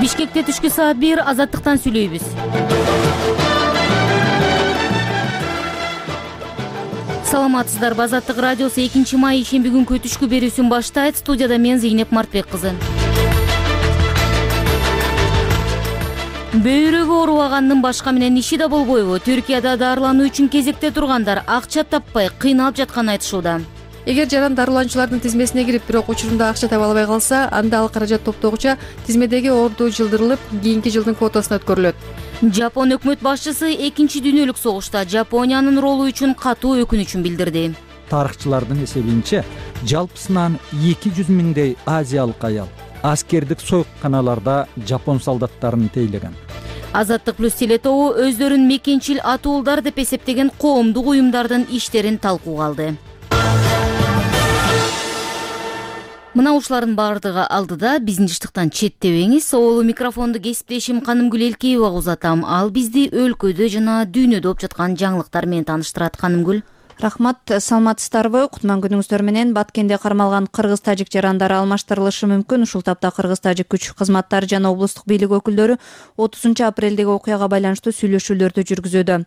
Бишкекте түшкү саат 1 Азаттыктан сүйлөйбүз. Саламатсыздарбы? Азаттык радиосу 2 май ишемби күнкү түшкү берүүсүн баштайт. Студияда мен Зейнеп Мартбек кызы. Бөйрөгү оорубагандын башка менен иши да болбойбу? Түркияда дарылануу үчүн кезекте тургандар акча таппай кыйналып жатканын айтышууда. Эгер жаран дарылануучулардын тизмесине кирип, бирок учурунда акча таба албай калса, анда ал каражат топтогуча тизмедеги орду жылдырылып, кийинки жылдын квотасына өткөрүлөт. Жапон өкмөт башчысы 2 дүйнөлүк согушта Жапониянын ролу үчүн катуу өкүнүчүн билдирди. Тарыхчылардын эсебинче, жалпысынан 200 миңдей азиялык аял аскердик сойканаларда жапон солдаттарын тейлеген. Азаттык плюс телетобу өздөрүн мекенчил атуулдар деп эсептеген коомдук уюмдардын иштерин талкууга алды. Мына ушулардын бардыгы алдыда, биздин жыштыктан четтебеңиз. Оолу микрофонду кесиптешим Канымгүл Элкеевага узатам. Ал бизди өлкөдө жана дүйнөдө болуп жаткан жаңылыктар менен тааныштырат. Канымгүл. Рахмат, саламатсыздарбы? Кутман күнүңүздөр менен. Баткенде кармалган кыргыз-тажик жарандары алмаштырылышы мүмкүн. Ушул тапта кыргыз-тажик күч кызматтары жана облустук бийлик өкүлдөрү 30 апрелдеги окуяга байланыштуу сүйлөшүүлөрдү жүргүзүүдө.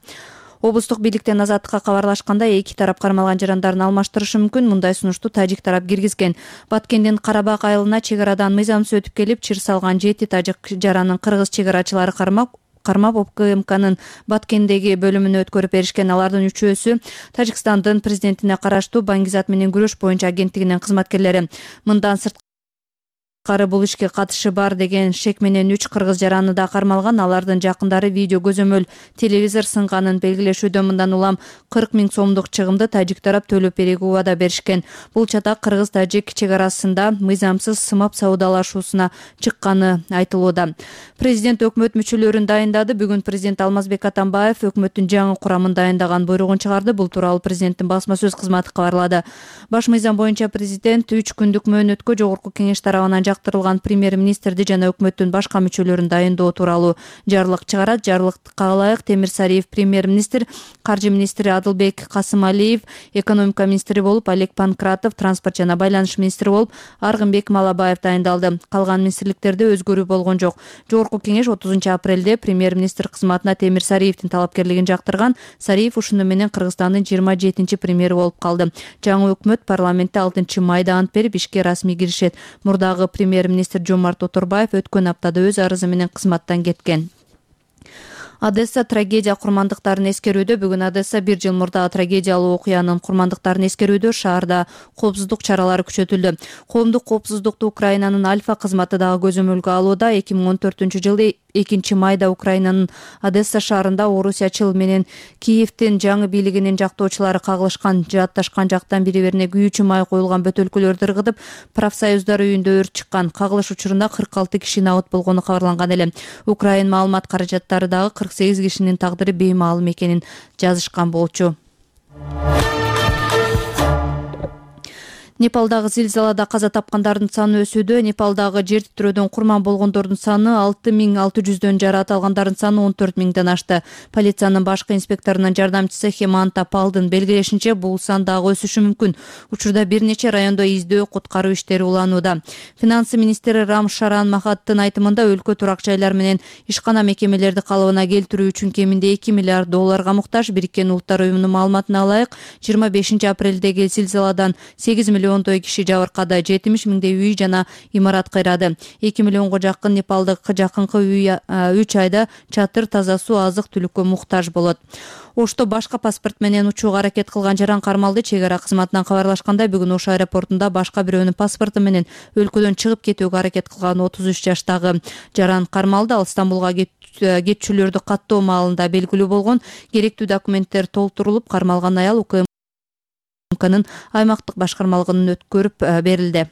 Облустук бийликтен Азаттыкка кабарлашканда, эки тарап кармалган жарандарын алмаштырышы мүмкүн. Мындай сунушту тажик тарап киргизген. Баткендин Карабак айылына чек арадан мыйзамсыз өтүп келип, чыр салган 7 тажик жаранын кыргыз чек арачылары кармап ОКМКнын Баткендеги бөлүмүнө өткөрүп беришкен. Алардын үчөөсү Тажикстандын президентине караштуу баңгизат менен күрөш боюнча агенттигинин кызматкерлери. Мындан сырткары бул ишке катышы бар деген шек менен 3 кыргыз жараны да кармалган. Алардын жакындары видео көзөмөл телевизор сынганын белгилешүүдө. Мындан улам 40 000 сомдук чыгымды тажик тарап төлөп берүүгө убада беришкен. Бул чатак кыргыз-тажик чек арасында мыйзамсыз сымап саудалашуусуна чыкканы айтылууда. Президент өкмөт мүчөлөрүн дайындады. Бүгүн президент Алмазбек Атамбаев өкмөттүн жаңы курамын дайындаган буйругун чыгарды. Бул тууралуу президенттин басма сөз кызматы кабарлады. Баш мыйзам боюнча президент 3 күндүк мөөнөткө жогорку кеңеш тарабынан жактырылган премьер-министрди жана өкмөттүн башка мүчөлөрүн дайындоо тууралуу жарлык чыгарат. Жарлыкка ылайык Темир Сариев премьер-министр, каржы министри Адылбек Касымалиев, экономика министри болуп Олег Панкратов, транспорт жана байланыш министри болуп Аргынбек Малабаев дайындалды. Калган министрликтерде өзгөрүү болгон жок. Жогорку кеңеш 30 апрелде премьер-министр кызматына Темир Сариевдин талапкерлигин жактырган. Сариев ушуну менен Кыргызстандын 27 премьери болуп калды. Жаңы өкмөт парламентте 6 майда ант берип ишке расмий киришет. Мурдагы премьер-министр Жомарт Оторбаев өткөн аптада өз арызы менен кызматтан кеткен. Одесса трагедия курмандыктарын эскерүүдө. Бүгүн Одесса 1 жыл мурдагы трагедиялуу окуянын курмандыктарын эскерүүдө шаарда коопсуздук чаралары күчөтүлдү. Коомдук коопсуздукту Украинанын Альфа кызматы дагы көзөмөлгө алууда. 2014-жылы 2 майда Украинанын Одесса шаарында орусиячыл менен Киевдин жаңы бийлигинин жактоочулары кагылышкан. Жаатташкан жактан бири-бирине күйүүчү май коюлган бөтөлкөлөрдү ыргытып, профсоюздар үйүндө өрт чыккан. Кагылыш учурунда 46 киши набыт болгону кабарланган эле. Украин маалымат каражаттары дагы 48 кишинин тагдыры беймаалым экенин жазышкан болчу. Непалдагы зилзалада каза тапкандардын саны өсүүдө. Непалдагы жер титирөөдөн курман болгондордун саны 6600дөн, жараат алгандардын саны 14000ден ашты. Полициянын башкы инспекторунун жардамчысы Хеманта Палдын белгилешинче, бул сан дагы өсүшү мүмкүн. Учурда бир нече райондо издөө, куткаруу иштери уланууда. Финансы министри Рам Шаран Махаттын айтымында, өлкө турак жайлар менен ишкана мекемелерди калыбына келтирүү үчүн кеминде $2 миллиард муктаж. Бириккен Улуттар уюмунун маалыматына ылайык, 25 апрелдеги зилзаладан 8 миллиондой киши жабыркады. 70 миңдей үй жана имарат кыйрады. 2 миллионго жакын непалдык жакынкы үй 3 айда чатыр, таза суу, азык-түлүккө муктаж болот. Ошто башка паспорт менен учууга аракет кылган жаран кармалды. Чек ара кызматынан кабарлашкандай, бүгүн Ош аэропортунда башка бирөөнүн паспорту менен өлкөдөн чыгып кетүүгө аракет кылган 33 жаштагы жаран кармалды. Ал Стамбулга кетчүлөрдү каттоо маалында белгилүү болгон. Керектүү документтер толтурулуп, кармалган аял ОКМКнын аймактык башкармалыгынан өткөрүп берилди.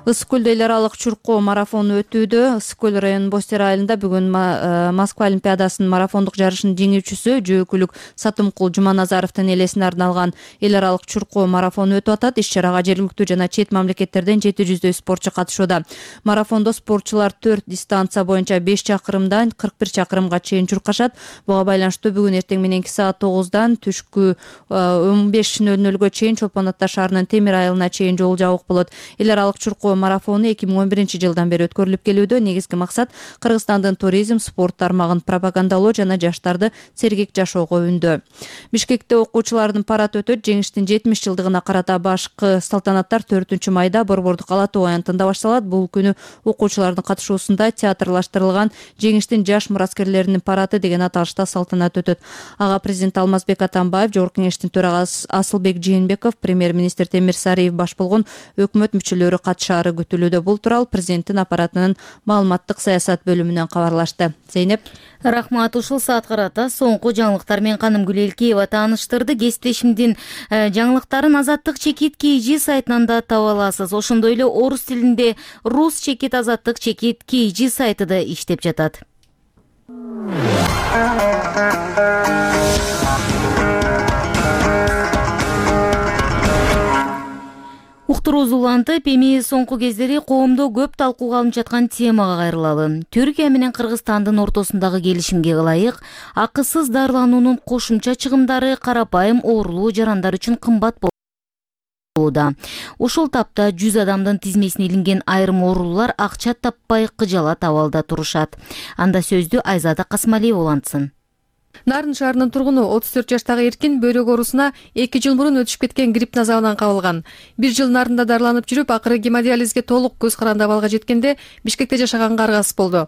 Ысык көлдө эл аралык чуркоо марафону өтүүдө. Ысык көл районунун Бостер айылында бүгүн Москва олимпиадасынын марафондук жарышынын жеңүүчүсү жөөкүлүк Сатымкул Жуманазаровдун элесине арналган эл аралык чуркоо марафону өтүп атат. Иш-чарага жергиликтүү жана чет мамлекеттерден 700дөй спортчу катышууда. Марафондо спортчулар 4 дистанция боюнча 5 чакырымдан 41 чакырымга чейин чуркашат. Буга байланыштуу бүгүн эртең мененки саат 9-дан түшкү 15:00-гө чейин Чолпон Ата шаарынын Темир айылына чейин жол жабык болот. Эл аралык чуркоо марафону 2011-жылдан бери өткөрүлүп келүүдө. Негизги максат Кыргызстандын туризм, спорт тармагын пропагандалоо жана жаштарды сергек жашоого үндөө. Бишкекте окуучулардын парад өтөт. Жеңиштин 70 жылдыгына карата башкы салтанаттар 4-майда Борбордук Ала Тоо аянтында башталат. Бул күнү окуучулардын катышуусунда театрлаштырылган Жеңиштин жаш мураскерлеринин парады деген аталышта салтанат өтөт. Ага президент Алмазбек Атамбаев, Жогорку Кеңештин төрагасы Асылбек Жээнбеков, премьер-министр Темир Сариев баш болгон өкмөт мүчөлөрү катышаары күтүлүүдө. Бул тууралуу президенттин аппаратынын маалыматтык саясат бөлүмүнөн кабарлашты. Зейнеп. Рахмат. Ушул саат карата соңку жаңылыктар менен Канымгүл Элкеева тааныштырды. Кесиптешимдин жаңылыктарын Азаттык чекит KG сайтынан да таба аласыз. Ошондой эле орус тилинде Рус чекит Азаттык чекит KG сайты да иштеп жатат. Уктуруубуз улантып, эми соңку кездери коомдо көп талкууга алынып жаткан темага кайрылалы. Түркия менен Кыргызстандын ортосундагы келишимге ылайык, акысыз дарылануунун кошумча чыгымдары карапайым оорулуу жарандар үчүн кымбат болууда. Ушул тапта 100 адамдын тизмесине илинген айрым оорулуулар акча таппай кыжалат абалда турушат. Анда сөздү Айзада Касмалиева улантсын. Нарын шаарынын тургуну 34 жаштагы эркин бөйрөк оорусуна 2 жыл мурун өтүшүп кеткен грипп назабынан кабылган. 1 жыл нарында дарыланып жүрүп, акыры гемодиализге толук көз каранды абалга жеткенде Бишкекте жашаганга аргасыз болду.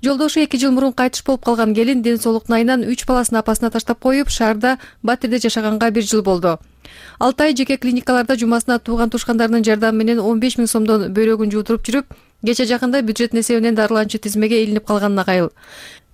Жолдошу 2 жыл мурун кайтыш болуп калган келин ден соолуктун айынан 3 баласын апасына таштап коюп, шаарда Батирде жашаганга 1 жыл болду. 6 ай жеке клиникаларда жумасына тууган тушкандарынын жардамы менен 15 000 сомдон бөйрөгүн жуутуруп жүрүп, кече жакында бюджеттин эсебинен дарыланчу тизмеге илинип калганына кайыл.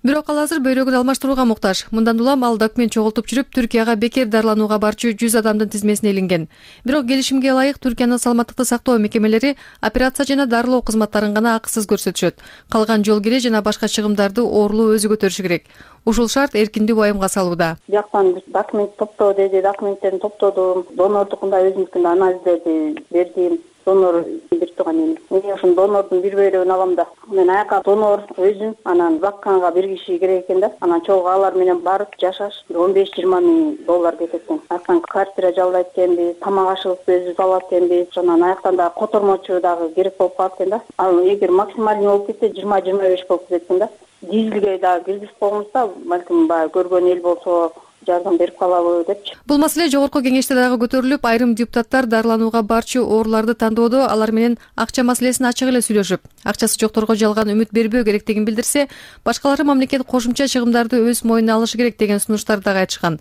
Бирок ал азыр бөйрөгүн алмаштырууга муктаж. Мындан улам ал документ чогултуп жүрүп, Түркияга бекер дарыланууга барчу 100 адамдын тизмесине илинген. Бирок келишимге ылайык Түркиянын саламаттыкты сактоо мекемелери операция жана дарылоо кызматтарын гана акысыз көрсөтүшөт. Калган жол кире жана башка чыгымдарды оорулуу өзү көтөрүшү керек. Ушул шарт эркинди уайымга салууда. Бияктан документ топтоо деди, документтерин топтодум. Донордукунда өзүмдүкүн анализдерди бердим. Донор бир турган эми. Мен ошол донордун бир бөйрөгүн алам да. Мен аяка донор өзүм, анан бакканга бир киши керек экен да. Анан чогуу алар менен барып жашаш 15-20 миң доллар кетет экен. Аяктан квартира жалдайт экенбиз, тамак ашыбызды өзүбүз алат экенбиз. Анан аяктан дагы котормочу дагы керек болуп калат экен да. Ал эгер максимальный болуп кетсе 20-25 болуп кетет экен да. Дизелге дагы киргизип койгонбузда, балким баягы көргөн эл болсо жардам берип калабы депчи. Бул маселе Жогорку Кеңеште дагы көтөрүлүп, айрым депутаттар дарыланууга барчу ооруларды тандоодо алар менен акча маселесин ачык эле сүйлөшүп, акчасы жокторго жалган үмүт бербөө керектигин билдирсе, башкалары мамлекет кошумча чыгымдарды өз мойнуна алышы керек деген сунуштарды дагы айтышкан.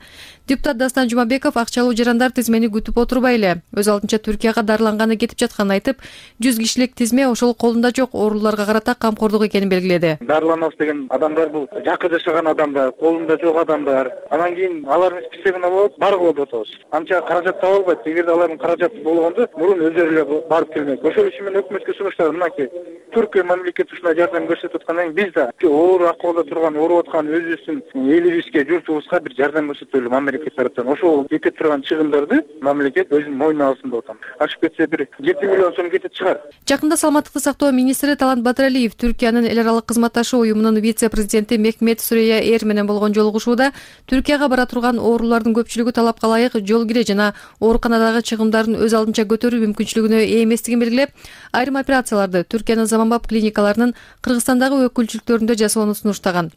Депутат Дастан Жумабеков акчалуу жарандар тизмени күтүп отурбай эле өз алдынча Түркияга дарыланганы кетип жатканын айтып, 100 кишилик тизме ошол колунда жок ооруларга карата камкордук экенин белгиледи. Дарыланабыз деген адамдар бул жакы жашаган адамдар, колунда жок адамдар. Анан кийин алардын списогуна болот, баргыла деп атабыз. Анча каражат таба албайт. Эгерде алардын каражаты болгондо, мурун өздөрү эле барып келмек. Ошол үчүн мен өкмөткө сунуштадым, мынакей Түркия мамлекети ушундай жардам көрсөтүп аткандан кийин биз да оор акыбалда турган, ооруп аткан өзүбүздүн элибизге, журтубузга бир жардам көрсөтөлү мамлекет тараптан. Ошол кетип турган чыгымдарды мамлекет өзүнүн мойнуна алсын деп атам. Ашып кетсе бир 7 миллион сом кетип чыгар. Жакында саламаттыкты сактоо министри Талант Батыралиев Түркиянын эл аралык кызматташуу уюмунун вице-президенти Мехмет Сүрөйя Эр менен болгон жолугушууда Түркияга бара турган оорулардын көпчүлүгү талапка ылайык жол кире жана ооруканадагы чыгымдарын өз алдынча көтөрүү мүмкүнчүлүгүнө ээ эместигин белгилеп, айрым операцияларды Түркиянын заманбап клиникаларынын Кыргызстандагы өкүлчүлүктөрүндө жасоону сунуштаган.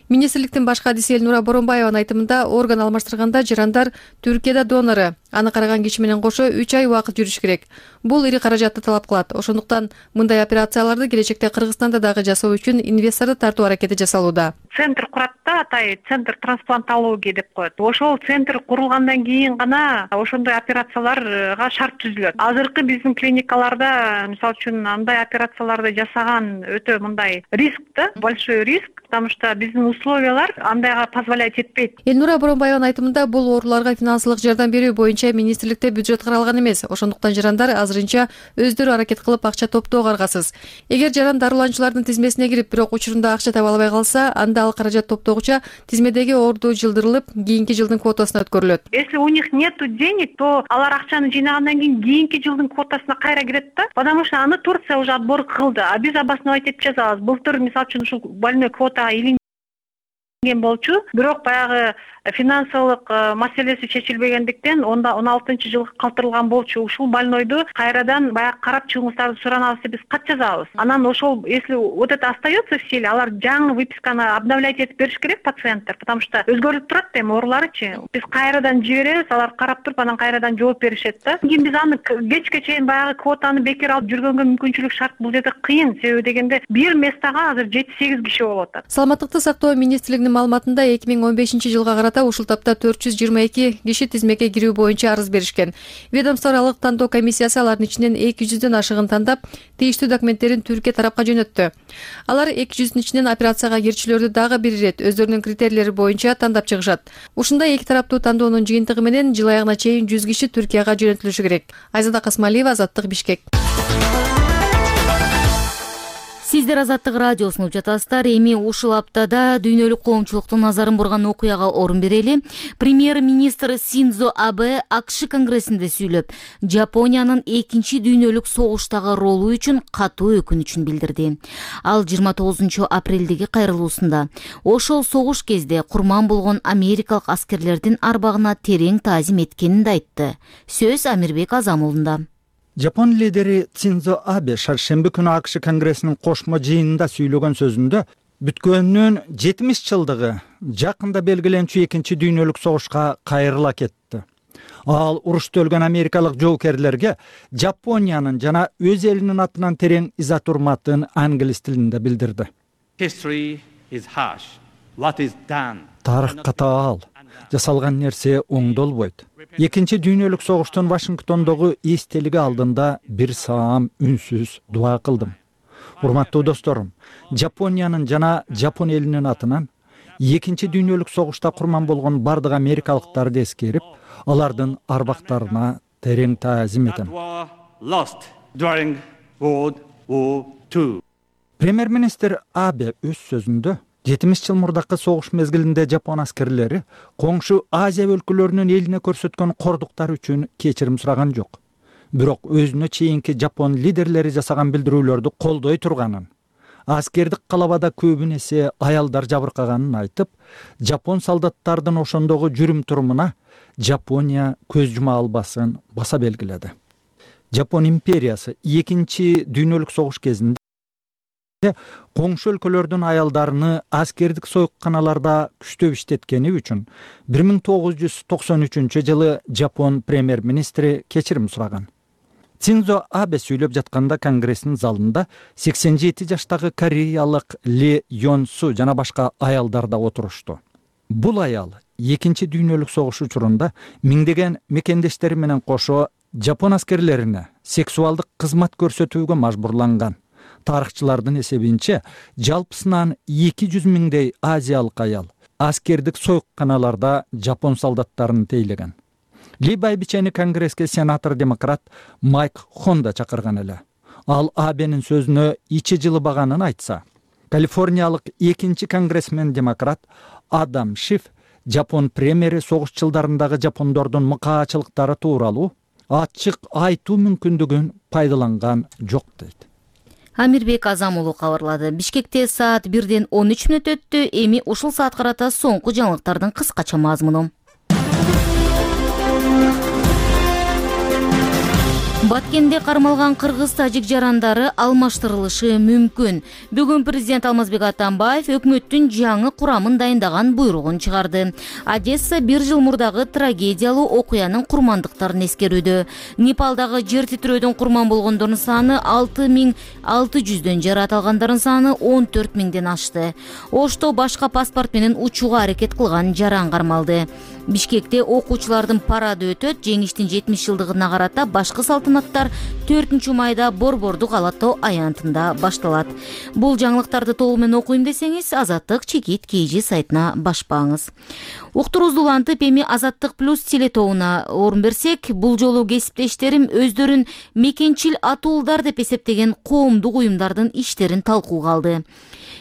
Министрликтин баш кадиси Элнура Боронбаеванын айтымында, орган алмаштырганда жарандар Түркияда донору, аны караган киши менен кошо 3 ай убакыт жүрүш керек. Бул ири каражатты талап кылат. Ошондуктан мындай операцияларды келечекте Кыргызстанда дагы жасоо үчүн инвесторду тартуу аракети жасалууда. Центр курат да, атай центр трансплантология деп коет. Ошол центр курулгандан кийин гана ошондой операцияларга шарт түзүлөт. Азыркы биздин клиникаларда, мисалы үчүн, андай операцияларды жасаган өтө мындай риск да, большой риск, потому что биздин условиялар андайга позволять этпейт. Элнура Боронбаеванын айтымында, бул ооруларга финансылык жардам берүү боюнча министрликте бюджет каралган эмес. Ошондуктан жарандар азырынча өздөрү аракет кылып акча топтоого аргасыз. Эгер жаран дарыланчылардын тизмесине кирип, бирок учурунда акча таба албай калса, анда ал каражат топтогуча тизмедеги орду жылдырылып, кийинки жылдын квотасына өткөрүлөт. Если у них нету денег, то алар акчаны жыйнагандан кийин кийинки жылдын квотасына кайра кирет да, потому что аны Турция уже отбор кылды, а биз обосновать этип жазабыз. Былтыр, мисалы үчүн, ушул больной квотага болчу, бирок баягы финансылык маселеси чечилбегендиктен 16-жылга калтырылган болчу. Ушул больнойду кайрадан баягы карап чыгыңыздарды суранабыз деп биз кат жазабыз. Анан ошол, если вот это остается в силе, алар жаңы выписканы обновлять этип бериш керек пациенттер, потому что өзгөрүп турат да эми ооруларычы. Биз кайрадан жиберебиз, алар карап туруп анан кайрадан жооп беришет да. Кийин биз аны кечке чейин баягы квотаны бекер алып жүргөнгө мүмкүнчүлүк шарт. Бул жерде кыйын, себеби дегенде бир местага азыр 7-8 киши болуп атат. Саламаттыкты сактоо министрлигинин маалыматында 2015-жылга карата ушул тапта 422 киши тизмеке кирүү боюнча арыз беришкен. Ведомство аралык тандоо комиссиясы алардын ичинен 200дөн ашыгын тандап, тийиштүү документтерин Түркия тарапка жөнөттү. Алар 200дүн ичинен операцияга кирчүлөрдү дагы бир ирет өздөрүнүн критерийлери боюнча тандап чыгышат. Ушундай эки тараптуу тандоонун жыйынтыгы менен жыл аягына чейин 100 киши Түркияга жөнөтүлүшү керек. Айзада Касмалиева, Азаттык, Бишкек. Сиздер Азаттык радиосун угуп жатасыздар. Эми ушул аптада дүйнөлүк коомчулуктун назарын бурган окуяга орун берели. Премьер-министр Синдзо Абе АКШ конгрессинде сүйлөп, Жапониянын 2-дүйнөлүк согуштагы ролу үчүн катуу өкүнүчүн билдирди. Ал 29-апрелдеги кайрылуусунда ошол согуш кезде курман болгон америкалык аскерлердин арбагына терең таазим эткенин да айтты. Сөз Амирбек Азамулунда. Жапон лидери Синдзо Абе шаршемби күнү АКШ конгрессинин кошмо жыйынында сүйлөгөн сөзүндө бүткөнүнүн 70 жылдыгы жакында белгиленчү 2-дүйнөлүк согушка кайрыла кетти. Ал урушта өлгөн америкалык жоокерлерге Жапониянын жана өз элинин атынан терең иза турматын англис тилинде билдирди. Тарых катаал, жасалган нерсе оңдолбойт. 2-дүйнөлүк согуштун Вашингтондогу эстелиги алдында бир саам үнсүз дуа кылдым. Урматтуу досторум, Жапониянын жана Жапон элинин атынан 2-дүйнөлүк согушта курман болгон бардык америкалыктарды эскерип, алардын арбактарына терең таазим этем. Премьер-министр Абе өз сөзүндө 70 жыл мурдакы согуш мезгилинде Жапон аскерлери коңшу Азия өлкөлөрүнүн элине көрсөткөн кордуктар үчүн кечирим сураган жок. Бирок өзүнө чейинки Жапон лидерлери жасаган билдирүүлөрдү колдой турганын, аскердик калабада көбүн эсе аялдар жабыркаганын айтып, Жапон солдаттардын ошондогу жүрүм турумуна Жапония көз жума албасын баса белгиледи. Жапон империясы 2-дүйнөлүк согуш кезинде коңшу өлкөлөрдүн аялдарыны аскердик сойканаларда күчтөп иштеткени үчүн 1993-жылы Жапон премьер-министри кечирим сураган. Синдзо Абе сүйлөп жатканда конгресстин залында 87 жаштагы кореялык Ли Йонсу жана башка аялдар да отурушту. Бул аял 2-дүйнөлүк согуш учурунда миңдеген мекендештери менен кошо Жапон аскерлерине сексуалдык кызмат көрсөтүүгө мажбурланган. Тарыхчылардын эсебинче, жалпысынан 200 миңдей азиялык аял аскердик сойканаларда Жапон солдаттарын тейлеген. Ли байбичени конгресске сенатор-демократ Майк Хонда чакырган эле. Ал Абенин сөзүнө ичи жылыбаганын айтса, Калифорниялык 2-конгрессмен-демократ Адам Шиф Жапон премьери согуш жылдарындагы жапондордун мыкаачылыктары тууралуу ачык айтуу мүмкүндүгүн пайдаланган жок дейт. Амирбек Азамулу кабарлады. Бишкекте саат 1:13 өттү. Эми ушул саат карата соңку жаңылыктардын кыскача мазмуну. Баткенде кармалган кыргыз-тажик жарандары алмаштырылышы мүмкүн. Бүгүн президент Алмазбек Атамбаев өкмөттүн жаңы курамын дайындаган буйругун чыгарды. Одесса 1 жыл мурдагы трагедиялуу окуянын курмандыктарын эскерүүдө. Непалдагы жер титирөөдөн курман болгондордун саны 6600дөн, жараат алгандардын саны 14000ден ашты. Ошто башка паспорт менен учууга аракет кылган жаран кармалды. Бишкекте окуучулардын парады өтөт. Жеңиштин 70 жылдыгына карата башкы салтанаттар 4-майда Борбордук Ала тоо аянтында башталат. Бул жаңылыктарды толугу менен окуйм десеңиз, Азаттык чекит KG сайтына башпаңыз. Уктуруубузду улантып, эми Азаттык плюс телетоуна орун берсек, бул жолу кесиптештерим өздөрүн мекенчил атуулдар деп эсептеген коомдук уюмдардын иштерин талкууга алды.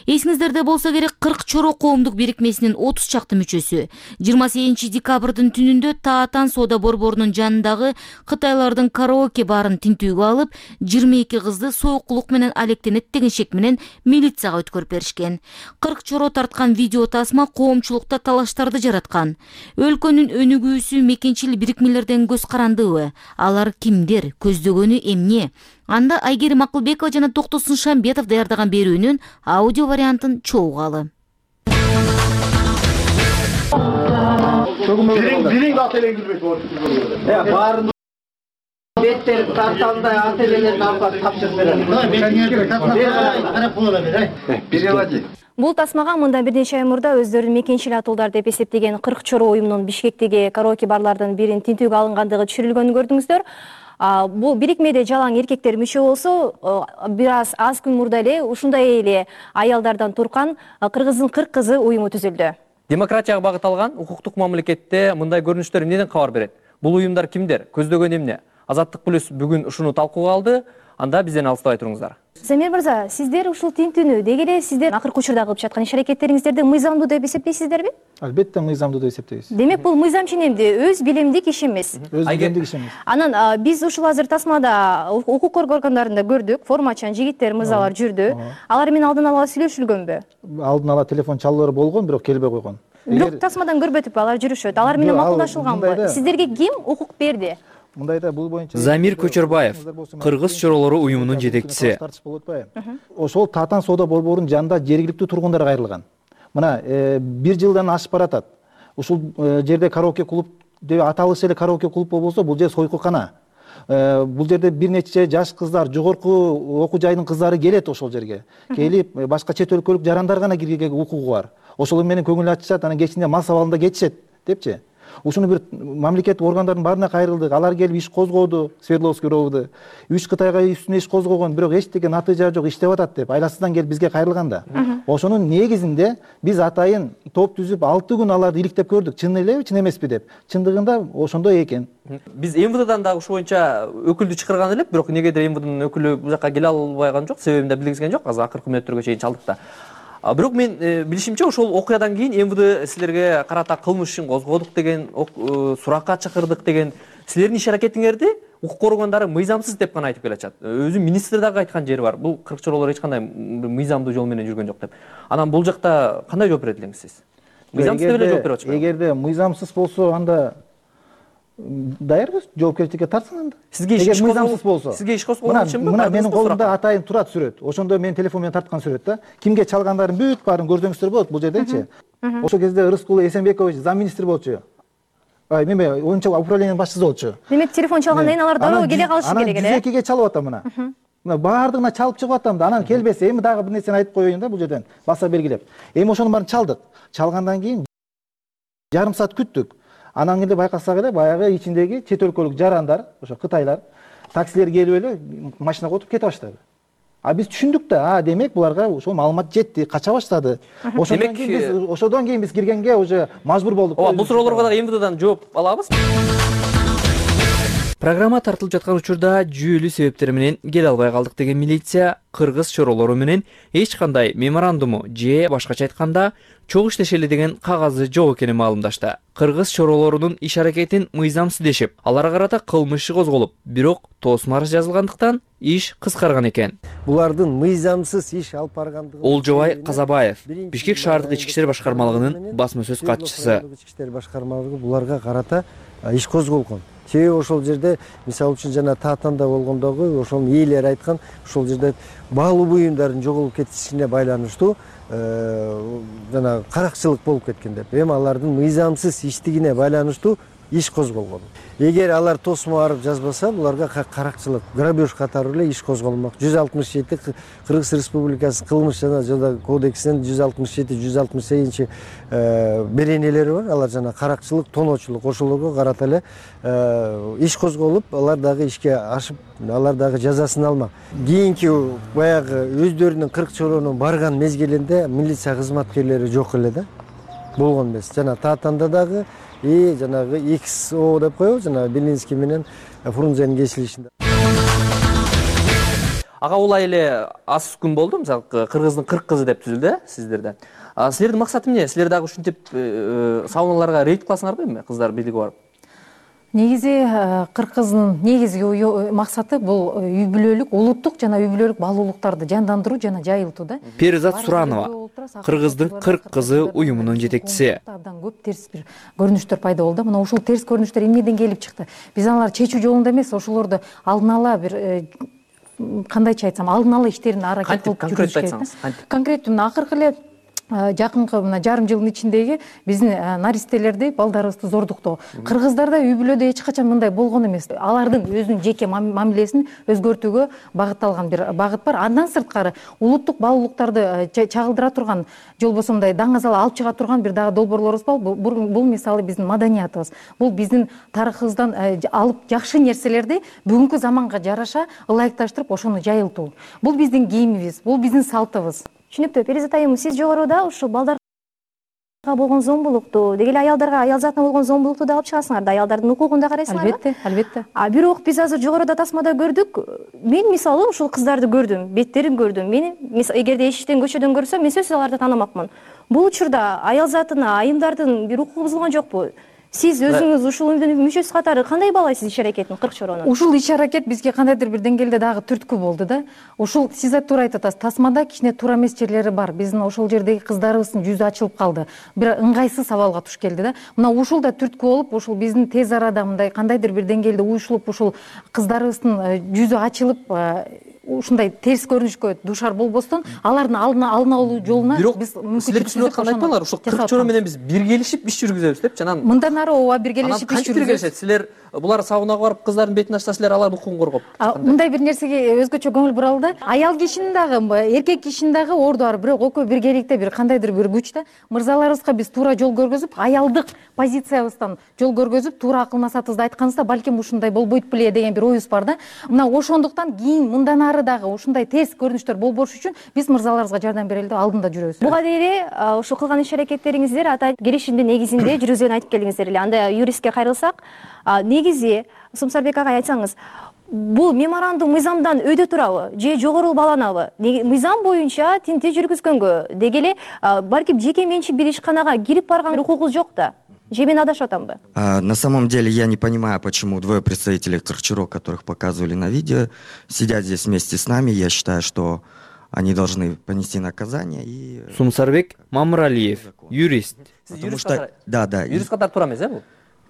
Эсиңиздерде болсо керек, 40 Чоро коомдук бирикмесинин 30 чакты мүчөсү 28 декабрдын түнүндө Таатан соода борборунун жанындагы Кытайлардын караоке караоке баарын тинтүүгө алып, 22 кызды союкулук менен алектенет деген шек менен милицияга өткөрүп беришкен. 40 чоро тарткан видео тасма коомчулукта талаштарды жараткан. Өлкөнүн өнүгүүсү мекенчил бирикмелерден көз карандыбы? Алар кимдер? Көздөгөнү эмне? Анда Айгерим Акылбекова жана Токтосун Шамбетов даярдаган берүүнүн аудио вариантын чогуугалы. Бириң ателен кирбейт баарын беттер тарталдай ателелерин алып тапшырып берет. Бул тасмага мындан бир нече ай мурда өздөрүн мекенчил атуулдар деп эсептеген 40 чоро уюмунун Бишкектеги караоке барлардын бирин тинтүүгө алынгандыгы түшүрүлгөнүн көрдүңүздөр. Бул бирикмеде жалаң эркектер мүчө болсо, бир аз күн мурда эле ушундай эле аялдардан турган Кыргыздын 40 кызы уюму түзүлдү. Демократияга багытталган укуктук мамлекетте мындай көрүнүштөр эмнеден кабар берет? Бул уюмдар кимдер? Көздөгөн эмне? Азаттык плюс бүгүн ушуну талкууга алды. Анда бизден алыстабай туруңуздар. Замир мырза, сиздер ушул тинтүүнү деги эле сиздер акыркы учурда кылып жаткан иш-аракеттериңиздерди мыйзамдуу деп эсептейсиздерби? Албетте мыйзамдуу деп эсептейбиз. Демек бул мыйзам ченемди, өз билимдик иш эмес. Өз билимдик иш эмес. Анан биз ушул азыр тасмада укук коргоо органдарында көрдүк, формачан жигиттер, мырзалар жүрдү. Алар менен алдын ала сүйлөшүлгөнбү? Алдын ала телефон чалуулары болгон, бирок келбей койгон. Бирок тасмадан көрбөтүппү, алар жүрүшөт. Алар менен макулдашылганбы? Сиздерге ким укук берди? Мындайда бул боюнча Замир Көчөрбаев, Кыргыз чоролору уюмунун жетекчиси. Ошол Татан соода борборунун жанында жергиликтүү тургундар кайрылган. Мына 1 жылдан ашып баратат. Ушул жерде караоке клуб деп аталышы эле караоке клуб болбосо, бул жер сойкукана. Бул жерде бир нече жаш кыздар, жогорку окуу жайдын кыздары келет ошол жерге. Келип, башка чет өлкөлүк жарандар гана кирүүгө укугу бар. Ошол менен көңүл ачышат, анан кечинде мас абалында кетишет депчи. Ушуну бир мамлекеттик органдардын баарына кайрылдык. Алар келип иш козгоду, Свердловский ровду. 3 Кытайга үстүнө иш козгогон, бирок эчтеке натыйжа жок, иштеп атат деп айласыздан келип бизге кайрылганда. Ошонун негизинде биз атайын топ түзүп 6 күн аларды иликтеп көрдүк. Чын элеби, чын эмеспи деп. Чындыгында ошондой экен. Биз МВДдан да ушул боюнча өкүлдү чакырган элек, бирок негедир МВДнын өкүлү бул жака келе албаган жок, себебин да билгизген жок. Азыр акыркы мүнөттөргө чейин чалдык да. Бирок мен билишимче ошол окуядан кийин МВД силерге карата кылмыш ишин козгодук деген, суракка чакырдык деген, силердин иш-аракетиңерди укук коргондору мыйзамсыз деп гана айтып келатышат. Өзү министр дагы айткан жери бар. Бул 40 чоролор эч кандай мыйзамдуу жол менен жүргөн жок деп. Анан бул жакта кандай жооп берет элеңиз сиз? Мыйзамсыз деп эле жооп берип атышпайбы? Эгерде мыйзамсыз болсо, анда даярбыз, жоопкерчиликке тартсын анда. Сизге иш болсо. Сизге иш козголгончумбу? Мына менин колумда атайын турат сүрөт. Ошондо мен телефон менен тарткан сүрөт да. Кимге чалгандарын бүт баарын көрсөңүздөр болот бул жердечи. Ошол кезде Рыскул Эсенбекович замминистр болчу. Неме, оюнча управлениянын башчысы болчу. Демек телефон чалгандан кийин алар дароо келе калышы керек эле. Анан 102ге чалып атам мына. Мына баардыгына чалып чыгып атам да. Анан келбесе, эми дагы бир нерсени айтып коеюн да бул жерден. Баса белгилеп. Эми ошонун баарын чалдык. Чалгандан кийин жарым саат күттүк. Анан кийин байкасак эле баягы ичиндеги чет өлкөлүк жарандар, ошо кытайлар, таксилер келип эле машинага отуруп кете баштады. Биз түшүндүк да, демек буларга ошол маалымат жетти, кача баштады. Ошодон кийин биз киргенге уже мажбур болдук. Бул суроолорго дагы МВДдан жооп алабыз. Программа тартылып жаткан учурда жүйөлүү себептер менен келе албай калдык деген милиция кыргыз чоролору менен эч кандай меморандуму же башкача айтканда чогуу иштешели деген кагазы жок экенин маалымдашты. Кыргыз чоролорунун иш-аракетин мыйзамсыз дешип, аларга карата кылмыш иши козголуп, бирок тоосун арыз жазылгандыктан иш кыскарган экен. Булардын мыйзамсыз иш алып баргандыгы Олжобай Казабаев, Бишкек шаардык ички иштер башкармалыгынын басма сөз катчысы. Ички иштер башкармалыгы буларга карата иш козголгон. Себеби ошол жерде, мисалы үчүн жана Татанда болгондогу ошонун ээлери айткан, ошол жерде баалуу буюмдардын жоголуп кетишине байланыштуу жана каракчылык болуп кеткен деп. Эми алардын мыйзамсыз иштигине байланыштуу иш козголгон. Эгер алар тосмо арып жазбаса, буларга каракчылык, грабеж катары эле иш козголмок. 167 Кыргыз Республикасы кылмыш жана жаза кодексинин 167-168 беренелери бар. Алар жана каракчылык, тоноочулук ошолорго карата эле иш козголуп, алар дагы ишке ашып, алар дагы жазасын алмак. Кийинки баягы өздөрүнүн 40 чоронун барган мезгилинде милиция кызматкерлери жок эле да. Болгон эмес. Жана Татанда дагы жанагы XO деп коебу, жана Белинский менен Фрунзенин кесилишинде. Ага улай эле аз күн болду, мисалы Кыргыздын 40 кызы деп түзүлдү сиздерде. Силердин максаты эмне? Силер дагы ушинтип сауналарга рейд кыласыңарбы эми кыздар бийлиги барып? Негизи кыргыздын негизги максаты бул үй бүлөлүк улуттук жана үй бүлөлүк баалуулуктарды жандандыруу жана жайылтуу да. Перизат Суранова кыргыздын 40 кызы уюмунун жетекчиси. Абдан көп терс бир көрүнүштөр пайда болду. Мына ушул терс көрүнүштөр эмнеден келип чыкты? Биз аларды чечүү жолунда эмес, ошолорду алдын ала бир кандайча айтсам, алдын ала иштерин аракет кылып жүрүш керек. Конкреттүү акыркы эле жакынкы мына жарым жылдын ичиндеги биздин наристелерди, балдарыбызды зордуктоо. Кыргыздарда үй бүлөдө эч качан мындай болгон эмес. Алардын өзүнүн жеке мамилесин өзгөртүүгө багытталган бир багыт бар. Андан сырткары улуттук баалуулуктарды чагылдыра турган, же болбосо мындай даңазал алып чыга турган бир дагы долбоорлорубуз бар. Бул мисалы биздин маданиятыбыз. Бул биздин тарыхыбыздан алып жакшы нерселерди бүгүнкү заманга жараша ылайыкташтырып ошону жайылтуу. Бул биздин кийимибиз, бул биздин салтыбыз. Түшүнүктүү. Перизат айым, сиз жогоруда ушул балдарга болгон зомбулукту, деги эле аялдарга, аял затына болгон зомбулукту да алып чыгасыңар да, аялдардын укугун да карайсыңарбы? Албетте. Бирок биз азыр жогоруда тасмада көрдүк. Мен мисалы ушул кыздарды көрдүм, беттерин көрдүм. Мени эгерде эшиктен, көчөдөн көрсөм, мен сөзсүз аларды таанымакмын. Бул учурда аял затына, айымдардын бир укугу бузулган жокпу? Сиз өзүңүз ушул уюмдун мүчөсү катары кандай баалайсыз иш-аракетин, 40 чоронун? Ушул иш-аракет бизге кандайдыр бир деңгээлде дагы түрткү болду да. Ушул сиз туура айтып атасыз. Тасмада кичине туура эмес жерлери бар. Биздин ошол жердеги кыздарыбыздын жүзү ачылып калды. Бир ыңгайсыз абалга туш келди да. Мына ушул да түрткү болуп, ушул биздин тез арада мындай кандайдыр бир деңгээлде уюшулуп, ушул кыздарыбыздын жүзү ачылып, ушундай терс көрүнүшкө душар болбостон, алардын алдын алуу жолуна биз мүмкүнчүлүк силер түшүнүп аткандай айтпаңар. Ушул 40 чоро менен биз биргелешип иш жүргүзөбүз депчи. Анан мындан ары ооба биргелешип иш жүргүзөбүз. Силер булар сабунага барып кыздардын бетин ачса, силер алардын укугун коргоп. Мындай бир нерсеге өзгөчө көңүл буралы да. Аял кишинин дагы, эркек кишинин дагы орду бар, бирок экөө биргеликте бир кандайдыр бир күч да. Мырзаларыбызга биз туура жол көргөзүп, аялдык позициябыздан жол көргөзүп, туура акыл насаатыбызды айтканыбызда балким ушундай болбойт беле деген бир оюбуз бар да. Мына ошондуктан кийин мындан ары дагы ушундай терс көрүнүштөр болбош үчүн биз мырзаларыбызга жардам берели деп алдында жүрөбүз. Буга дейин ушул кылган иш-аракеттериңиздер ата келишимдин негизинде жүргүзгөнүн айтып келдиңиздер эле. Анда юристке кайрылсак, негизи Сумсарбек ага айтсаңыз, бул меморандум мыйзамдан өйдө турабы же жогору бааланабы? Мыйзам боюнча тинтүү жүргүзгөнгө деги эле балким жеке менчик бир ишканага кирип барган укугубуз жок да. Же мен адашып атамбы? На самом деле я не понимаю, почему двое представителей Кырчуро, которых показывали на видео, сидят здесь вместе с нами. Я считаю, что они должны понести наказание. Сумсарбек Мамыралиев, юрист. Потому что, да. Юрист катары туура эмес, бул?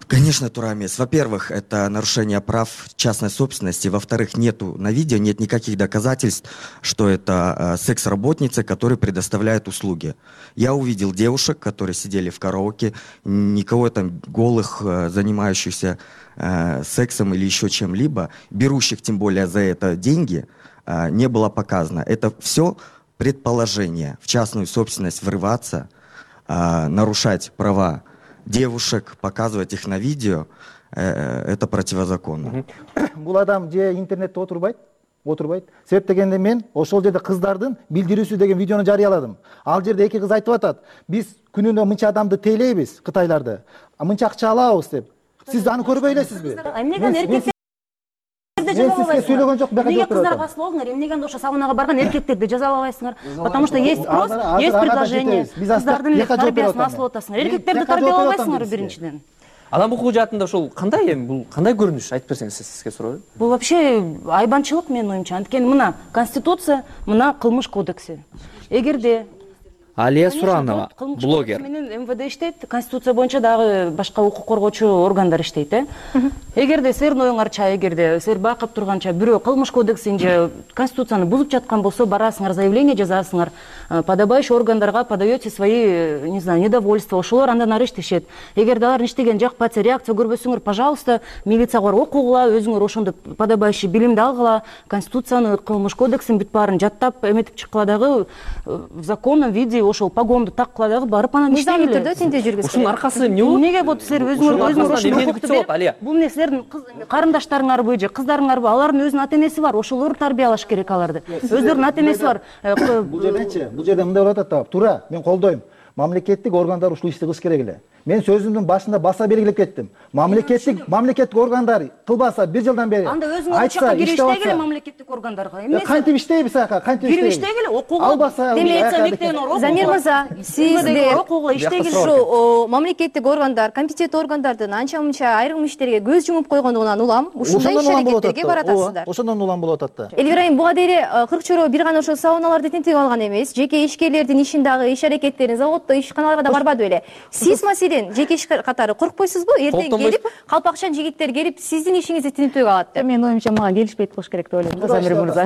Конечно, туура эмес. Во-первых, это нарушение прав частной собственности. Во-вторых, нету на видео, нет никаких доказательств, что это секс-работницы, которые предоставляют услуги. Я увидел девушек, которые сидели в караоке, никого там голых, занимающихся сексом или еще чем-либо, берущих тем более за это деньги, не было показано. Это все предположение. В частную собственность врываться, нарушать права девушек, показывать их на видео, это противозаконно. Бул адам же интернетте отурбайт. Себеп дегенде мен ошол жерде кыздардын билдирүүсү деген видеону жарыяладым. Ал жерде эки кыз айтып атат: биз күнүнө мынча адамды тейлейбиз, кытайларды, мынча акча алабыз деп. Сиз аны көрбөй элесизби? Сүйлөгөн жок, эмнеге кыздарга касыл болдуңар? Эмнеге ошо сабунага барган эркектерди жазалабайсыңар? Потому что есть спрос, есть предложение. Кыздардын тарбиясын асылып атасыңар. Эркектерди тарбиялабайсыңар биринчиден. Адам укугу жаатында ушул кандай эми бул кандай көрүнүш айтып берсеңиз сизге суроо. Бул вообще айбанчылык менин оюмча. Анткени мына Конституция, мына Кылмыш кодекси. Эгерде Алия Суранова, блогер. Менен МВД иштейт, Конституция боюнча дагы башка укук коргоочу органдар иштейт. Эгерде силердин оюңарча, эгерде силер байкап турганча бирөө Кылмыш кодексин же Конституцияны бузуп жаткан болсо, барасыңар, заявление жазасыңар, подобающий органдарга подаете свои, не знаю, недовольства, ошолор андан ары иштешет. Эгерде алар иштеген жакпаса, реакция көрбөсөңөр, пожалуйста, милицияга барып окугула, өзүңөр ошондо подобающий билимди алгыла, Конституцияны, Кылмыш кодексин бүт баарын жаттап эметип чыккыла дагы, в законном виде ошол погонду таккыла дагы барып анан иштейли. Мыйзамдуу түрдө тинтүү жүргүзгүлө. Ушунун аркасы эмне болот? Эмнеге болот? Силер өзүңөр Бул эмне силердин карындаштарыңарбы же кыздарыңарбы? Алардын өзүнүн ата энеси бар, ошолор тарбиялаш керек аларды. Өздөрүнүн ата энеси бар. Бул жерде мындай болуп атат да, туура, мен колдойм. Мамлекеттик органдар ушул ишти кылыш керек эле. Мен сөзүмдүн башында баса белгилеп кеттим. Мамлекеттик органдар кылбаса 1 жылдан бери анда өзүңөр учакка кирип иштегиле мамлекеттик органдарга. Эмне кантип иштейбиз ака? Кантип кирип иштегиле, окууга. Албаса Демилиция мектебине окууга. Замир мырза, сиздер окууга иштегиле. Ушу мамлекеттик органдар, компетенттүү органдардын анча-мынча айрым иштерге көз жумуп койгондугунан улам ушундай иш-аракеттерге баратасыздар. Ошондон улам болуп атат да. Элвира айым, буга дейре Кыркчоро бир гана ошо сауналарды тинтип алган эмес, жеке ишкерлердин ишин дагы иш-аракеттерин заводдо ишканаларга да барбады беле. Сиз маселен жеке иш катары коркпойсузбу? Эртең келип, калпакчан жигиттер келип, сиздин ишиңизди тинтүүгө алат деп. Менин оюмча мага келишпейт болуш керек деп ойлойм, Замир мырза.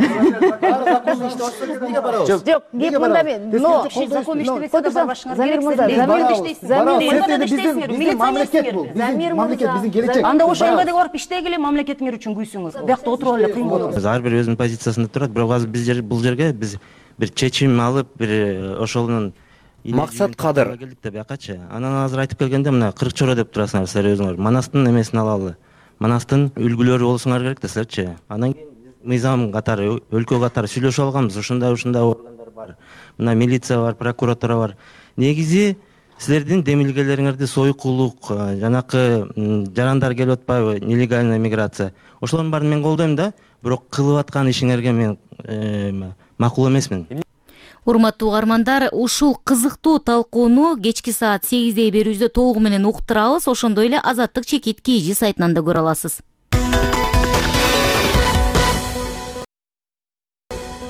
Жок, кеп мында мен. Но закон иштебесе да барбашыңар керек. Замир мамлекет биздин келечек. Анда ошо МВДге барып иштегиле, мамлекетиңер үчүн күйсүңүз. Биякта отуруп эле кыйын болот. Ар бир өзүнүн позициясында турат, бирок азыр бул жерге биз бир чечим алып, бир ошонун Максат Кадыр. Келдик да биякачы. Анан азыр айтып келгенде мына Кыркчоро деп турасыңар силер өзүңөр. Манастын эмесин алалы. Манастын үлгүлөрү болсуңар керек да силерчи. Анан кийин мыйзам катары, өлкө катары сүйлөшүп алганбыз. Ушундай органдар бар. Мына милиция бар, прокуратура бар. Негизи силердин демилгелериңерди сойкулук, жанакы жарандар келип атпайбы, нелегальная миграция. Ошолордун баарын мен колдойм да, бирок кылып аткан ишиңерге мен макул эмесмин. Урматтуу угармандар, ушул кызыктуу талкууну кечки саат 8 берүүбүздө толугу менен уктурабыз. Ошондой эле Азаттык чекит KG сайтынан да көрө аласыз.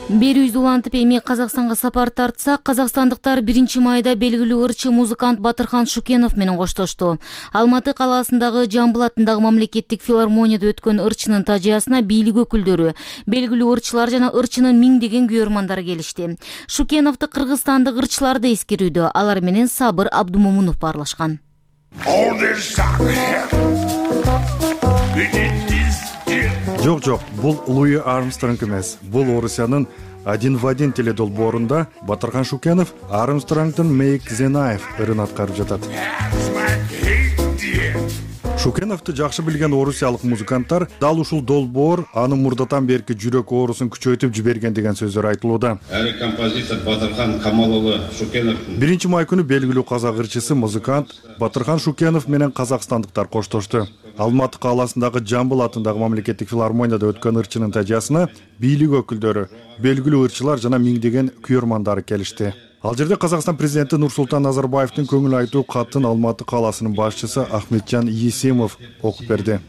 Берүүбүздү улантып эми Казакстанга сапар тартсак, казакстандыктар 1-майда белгилүү ырчы музыкант Батырхан Шукенов менен коштошту. Алматы калаасындагы Жамбыл атындагы мамлекеттик филармонияда өткөн ырчынын тажыясына бийлик өкүлдөрү, белгилүү ырчылар жана ырчынын миңдеген күйөрмандары келишти. Шукеновду кыргызстандык ырчылар да эскерүүдө, алар менен Сабыр Абдумомунов баарлашкан. Жок, бул Луи Армстронг эмес. Бул Орусиянын один в один теледолбоорунда Батырхан Шукенов Армстронгдун Make the Knife ырын аткарып жатат. Шукеновду жакшы билген орусиялык музыканттар дал ушул долбоор анын мурдатан берки жүрөк оорусун күчөйтүп жиберген деген сөздөр айтылууда. Композитор Батырхан Камалұлы Шукенов 1-май күнү белгилүү казак ырчысы музыкант Батырхан Шукенов менен казакстандыктар коштошту. Алматы калаасындагы Жамбыл атындагы мамлекеттик филармонияда өткөн ырчынын тажыясына бийлик өкүлдөрү, белгилүү ырчылар жана миңдеген күйөрмандары келишти. Ал жерде Казакстан президенти Нурсултан Назарбаевдин көңүл айтуу катын Алматы калаасынын башчысы Ахметжан Есимов окуп берди.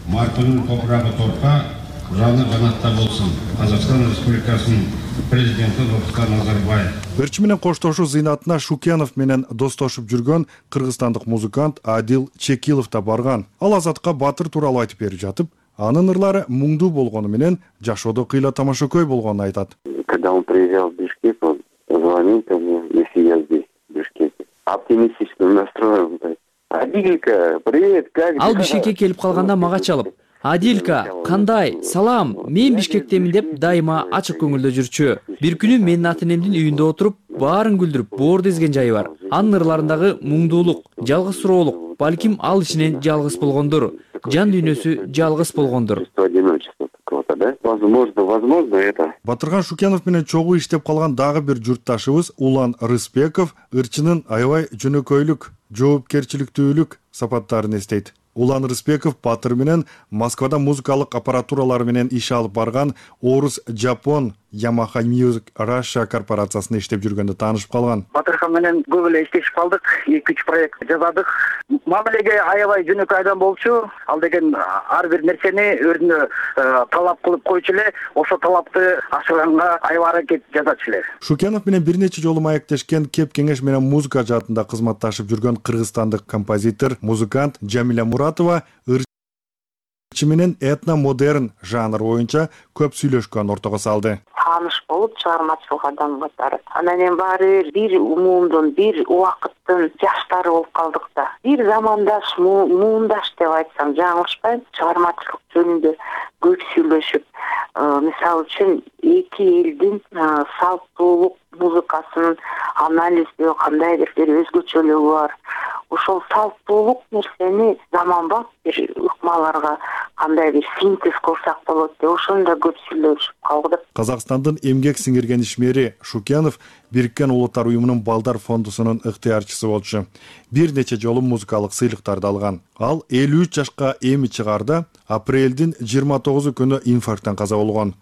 Маркунун топурагы торка, жаны жанатта болсун. Казакстан Республикасынын президенти Нурсултан Назарбаев. Ырчы менен коштошуу зыйнатына Шукенов менен достошуп жүргөн кыргызстандык музыкант Адил Чекилов да барган. Ал Азатка Батыр тууралуу айтып берип жатып, анын ырлары муңдуу болгону менен жашоодо кыйла тамашакөй болгонун айтат. Когда он приезжал в Бишкек, он звонил ко мне, если я здесь, в Бишкеке. Оптимистичным настроем. Адилька, привет, как дела? Ал Бишкекке келип калганда мага чалып, Адилька, кандай, салам, мен Бишкектемин деп дайыма ачык көңүлдө жүрчү. Бир күнү менин ата энемдин үйүндө отуруп, баарын күлдүрүп, боор дезген жайы бар. Анын ырларындагы муңдуулук, жалгыз суроолук, балким ал ичинен жалгыз болгондур. Жан дүйнөсү жалгыз болгондур. Возможно, это. Батырхан Шукенов менен чогуу иштеп калган дагы бир журтташыбыз Улан Рыспеков ырчынын аябай жөнөкөйлүк, жоопкерчиликтүүлүк сапаттарын эстейт. Улан Рыспеков Батыр менен Москвада музыкалык аппаратуралар менен иш алып барган Орус Жапон Yamaha Music Russia корпорациясында иштеп жүргөндө таанышып калган. Батырхан менен көп эле иштешип калдык, 2-3 проект жасадык. Мамилеге аябай жөнөкөй адам болчу. Ал деген ар бир нерсени өзүнө талап кылып койчу эле, ошо талапты ашырганга аябай аракет жасачу эле. Шукенов менен бир нече жолу маектешкен, кеп кеңеш менен музыка жаатында кызматташып жүргөн кыргызстандык композитор, музыкант Жамиля Муратова ырчы менен этно-модерн жанр боюнча көп сүйлөшкөн ортого салды. Тааныш болуп чыгармачылык адам катары. Анан эми баары бир умумдун, бир убакыттын жаштары болуп калдык да. Бир замандаш, муундаш деп айтсам жаңылышпайм. Чыгармачылык жөнүндө көп сүйлөшүп, мисалы үчүн эки элдин салттуулук музыкасынын анализдөө кандайдыр бир өзгөчөлүгү бар. ошол салттуулук нерсени заманбап бир ыкмаларга кандай бир синтез кылсак болот деп ошону да көп сүйлөшүп калдык. Казакстандын эмгек сиңирген ишмери Шукенов Бириккен Улуттар уюмунун Балдар фондусунун ыктыярчысы болчу. Бир нече жолу музыкалык сыйлыктарды алган. Ал 53 жашка эми чыгарда апрелдин 29 күнү инфаркттан каза болгон.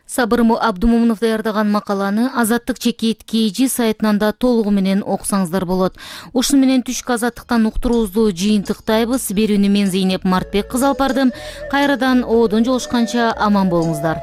Сабыр Абдумомунов даярдаган макаланы Азаттык чекит KG сайтынан да толугу менен окусаңыздар болот. Ушуну менен түшкү азаттыктан уктуруубузду жыйынтыктайбыз. Берүүнү мен Зейнеп Мартбек кызы алып бардым. Кайрадан оодон жолушканча аман болуңуздар.